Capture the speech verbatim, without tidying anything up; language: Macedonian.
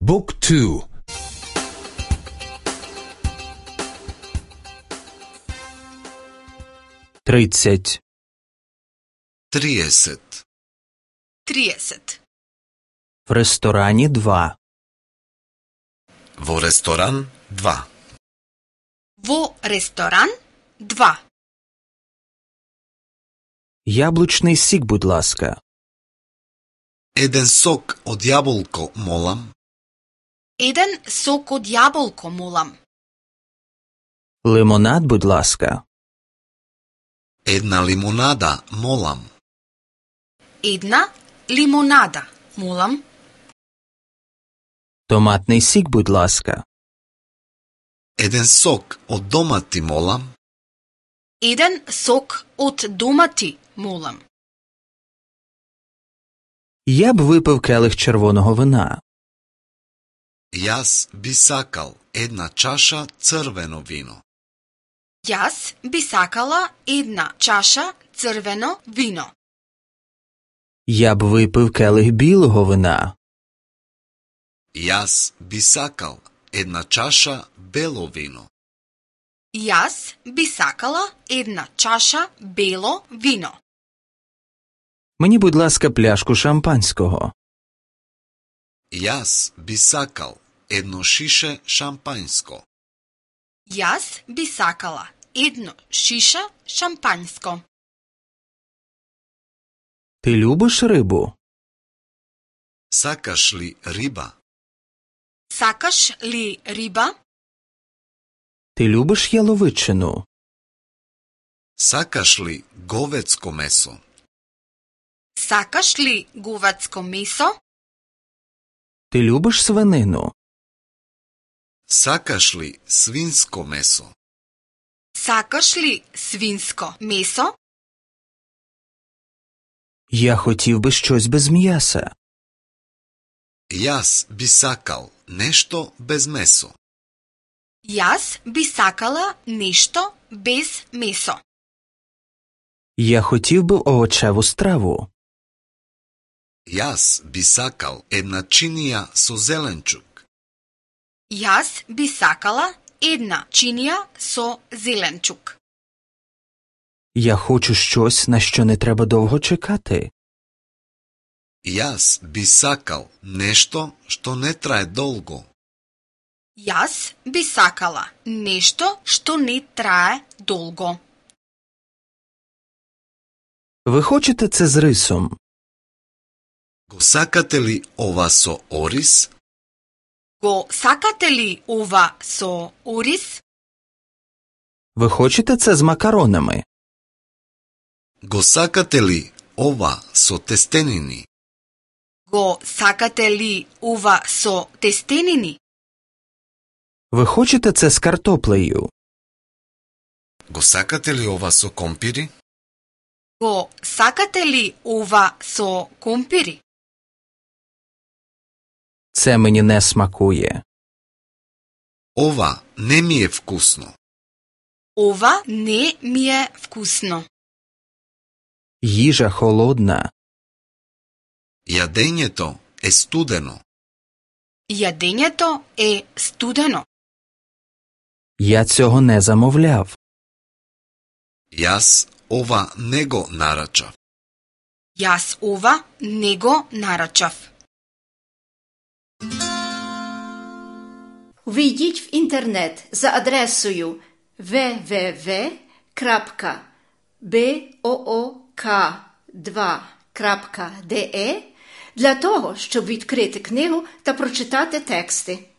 Book two. тридцать. триесет. триесет. В ресторане два. Во ресторан два. Во ресторан два. Яблучний сік, будь ласка. Еден сок од јаболко, молам. Еден сок од јаболко, молам. Лимонад, будь ласка. Една лимонада, молам. Една лимонада, молам. Томатний сік, будь ласка. Еден сок од домати, молам. Еден сок од домати, молам. Я б випив келих червоного вина. Јас би сакал една чаша црвено вино. Јас би сакала една чаша црвено вино. Я б випив келих білого вина. Јас би сакал една чаша бело вино. Јас би сакала една чаша бело вино. Мені, будь ласка, пляшку шампанського. Јас би сакал едно шише шампањско. Јас би сакала едно шиша шампањско. Ти любиш рибу? Сакаш ли риба? Сакаш ли риба? Ти любиш яловичину? Сакаш ли говецко месо? Сакаш ли говецко месо? Ти любиш свинину? Сакаш ли свинско месо? Сакаш ли свинско месо? Я хотів би щось без м'яса. Јас би сакал нешто без месо. Јас би сакала нешто без месо. Я хотів би овочеву страву. Јас би сакал една чинија со зеленчук. Јас би сакала една чинија со зеленчук. Я хочу щось, на що не треба довго чекати. Јас би сакал нешто што не трае долго. Јас би сакала нешто што не трае долго. Ви хочете це з рисом? Го сакате ли ова со ориз? Го сакате ли ова со ориз? Ви хочете це з макаронами? Го сакате ли ова со тестенини? Го сакате ли ова со тестенини? Ви хочете це з картоплею? Го сакате ли ова со компири? Го сакате ли ова со компири? Це мені не смакує. Ова не ми е вкусно. Ова не ми е вкусно. Їжа холодна. Јадењето е студено. Јадењето е студено. Я цього не замовляв. Јас ова не го нарачав. Јас ова не го нарачав. Увійдіть в інтернет за адресою double-u double-u double-u крапка боок два крапка де для того, щоб відкрити книгу та прочитати тексти.